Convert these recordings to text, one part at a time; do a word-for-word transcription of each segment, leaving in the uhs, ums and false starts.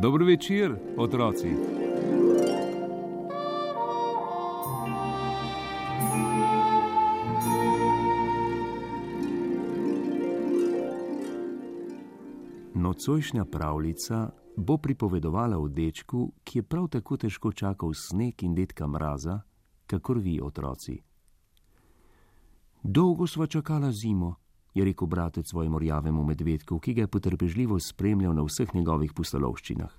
Dobro večer, otroci. Nocojšnja pravljica bo pripovedovala o dečku, ki je prav tako težko čakal sneg in dedka mraza, kakor vi, otroci. Dolgo sva čakala zimo, je rekel bratec svojemu rjavemu medvedku, ki ga je potrpežljivo spremljal na vseh njegovih pustolovščinah.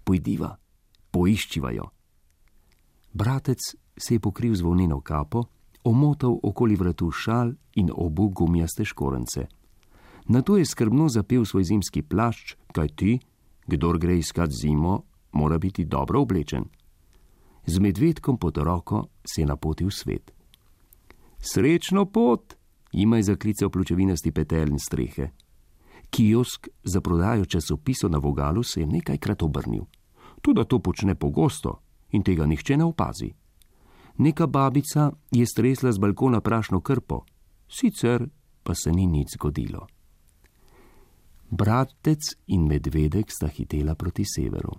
Pojdiva, poiščiva jo. Bratec se je pokril z volneno kapo, omotal okoli vratu šal in obul gumijaste škorence. Nato je skrbno zapel svoj zimski plašč, kaj ti, kdor gre iskat zimo, mora biti dobro oblečen. Z medvedkom pod roko se je napotil svet. Srečno pot, jima je zaklical pločevinasti petelj in strehe. Kiosk za prodajo časopisov na vogalu se je nekajkrat obrnil. Toda to počne pogosto in tega nihče ne opazi. Neka babica je stresla z balkona prašno krpo, sicer pa se ni nič zgodilo. Bratec in medvedek sta hitela proti severu.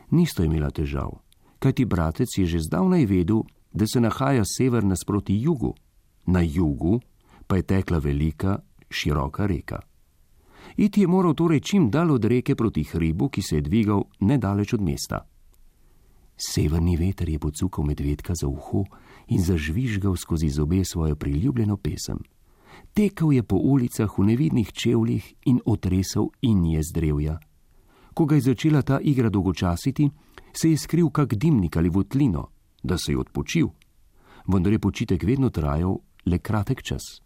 Nista imela težav, kajti bratec je že zdavnaj vedel, da se nahaja sever nasproti jugu. Na jugu pa je tekla velika, široka reka. Iti je moral torej čim dalj od reke proti hribu, ki se je dvigal nedaleč od mesta. Severni veter je pocukal medvedka za uho in zažvižgal skozi zobe svojo priljubljeno pesem. Tekel je po ulicah v nevidnih čevljih in otresal inje z drevja. Ko ga je začela ta igra dolgočasiti, se je skril kak dimnik ali votlino, da se je odpočil. Vendar je počitek vedno trajal le kratek čas.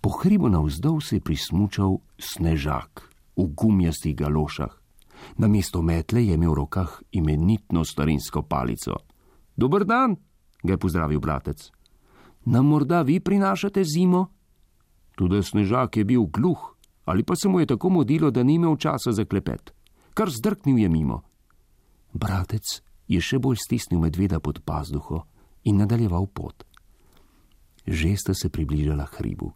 Po hribu navzdol se je prismučal Snežak v gumijastih galošah. Namesto metle je imel v rokah imenitno starinsko palico. Dober dan, ga je pozdravil bratec. Nam morda vi prinašate zimo? Tudi Snežak je bil gluh, ali pa se mu je tako modilo, da ni imel časa za klepet. Kar zdrknil je mimo. Bratec je še bolj stisnil medveda pod pazduho in nadaljeval pot. Že sta se približala hribu.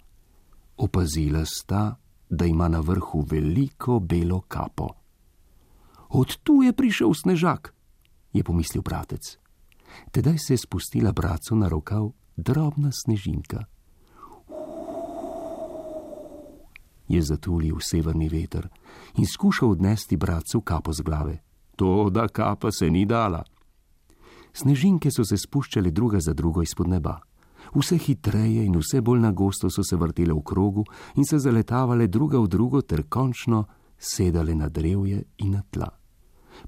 Opazila sta, da ima na vrhu veliko belo kapo. Od tu je prišel Snežak, je pomislil bratec. Tedaj se je spustila bratcu na rokav drobna snežinka. Je zatulil severni veter in skušal odnesti bratcu kapo z glave. Toda kapa se ni dala. Snežinke so se spuščale druga za drugo izpod neba. Vse hitreje in vse bolj nagosto so se vrtele v krogu in se zaletavale druga v drugo ter končno sedale na drevje in na tla.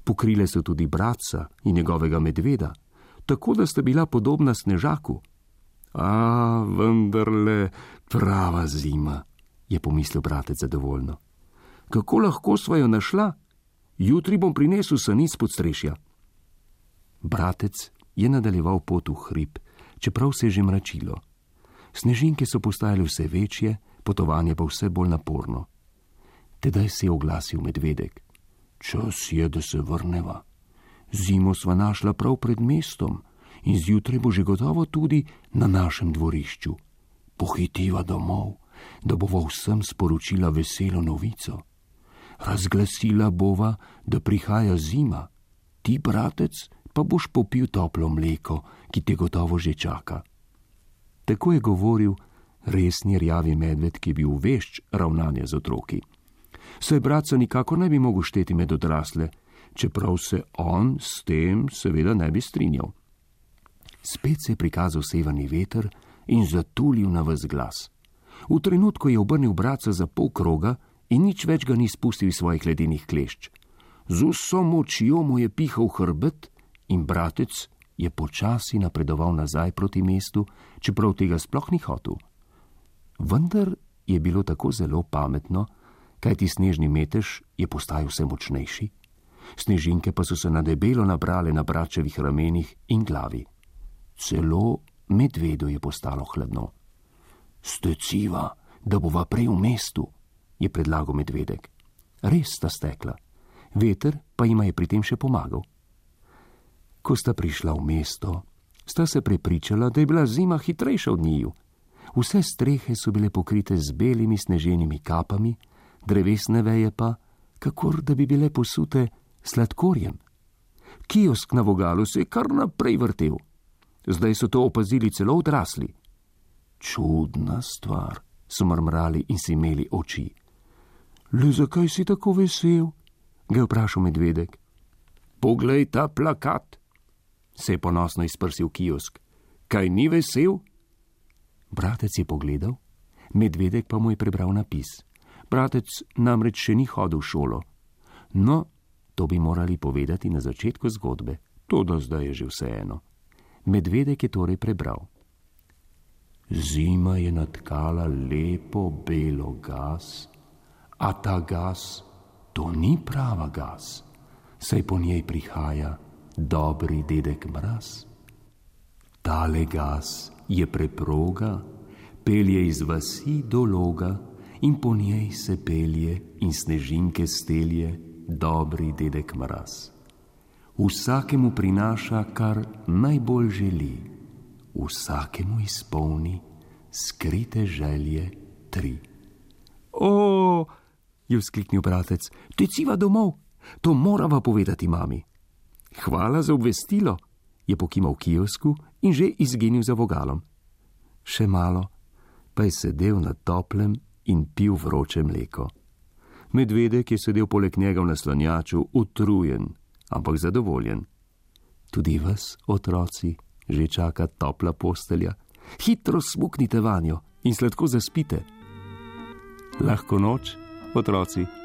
Pokrile so tudi bratca in njegovega medveda, tako da sta bila podobna Snežaku. A, vendarle prava zima, je pomislil bratec zadovoljno. Kako lahko sva jo našla? Jutri bom prinesel sanic pod strešja. Bratec je nadaljeval pot v hrib, čeprav se je že mračilo. Snežinke so postajale vse večje, potovanje pa vse bolj naporno. Tedaj se je oglasil medvedek. Čas je, da se vrneva. Zimo sva našla prav pred mestom in zjutraj bo že gotovo tudi na našem dvorišču. Pohitiva domov, da bova vsem sporočila veselo novico. Razglasila bova, da prihaja zima. Ti, bratec, pa boš popil toplo mleko, ki te gotovo že čaka. Tako je govoril resni rjavi medved, ki je bil vešč ravnanja z otroki. Saj bratca nikako ne bi mogel šteti med odrasle, čeprav se on s tem seveda ne bi strinjal. Spet se je prikazal severni veter in zatulil na ves glas. V trenutku je obrnil bratca za pol kroga in nič več ga ni spustil iz svojih ledenih klešč. Z vso močjo mu je pihal hrbet in bratec je počasi napredoval nazaj proti mestu, čeprav tega sploh ni hotel. Vendar je bilo tako zelo pametno, kajti snežni metež je postajal vse močnejši. Snežinke pa so se na debelo nabrale na bratčevih ramenih in glavi. Celo medvedu je postalo hladno. Steciva, da bova prej v mestu, je predlagal medvedek. Res sta stekla. Veter pa jima je pri tem še pomagal. Ko sta prišla v mesto, sta se prepričala, da je bila zima hitrejša od njiju. Vse strehe so bile pokrite z belimi sneženimi kapami, drevesne veje pa, kakor da bi bile posute sladkorjem. Kiosk na vogalu se je kar naprej vrtel. Zdaj so to opazili celo odrasli. Čudna stvar, so mrmrali in si imeli oči. Le zakaj si tako vesel? Ga je vprašal medvedek. Poglej ta plakat, se je ponosno izprsil kiosk. Kaj ni vesel? Bratec je pogledal, medvedek pa mu je prebral napis. Bratec namreč še ni hodil v šolo. No, to bi morali povedati na začetku zgodbe, toda zdaj je že vseeno. Medvedek je torej prebral. Zima je natkala lepo belo gas, a ta gas, to ni prava gas, saj po njej prihaja dobri dedek Mraz. Tale gas je preproga, pelje iz vasi do loga in po njej se pelje in snežinke stelje dobri dedek Mraz. Vsakemu prinaša, kar najbolj želi, vsakemu izpolni skrite želje tri. O, je vzkliknil bratec, teciva domov, to morava povedati mami. Hvala za obvestilo, je pokimal kiosku in že izginil za vogalom. Še malo, pa je sedel na toplem in pil vroče mleko. Medvedek je sedel poleg njega v naslanjaču, utrujen, ampak zadovoljen. Tudi vas, otroci, že čaka topla postelja. Hitro smuknite vanjo in sladko zaspite. Lahko noč, otroci.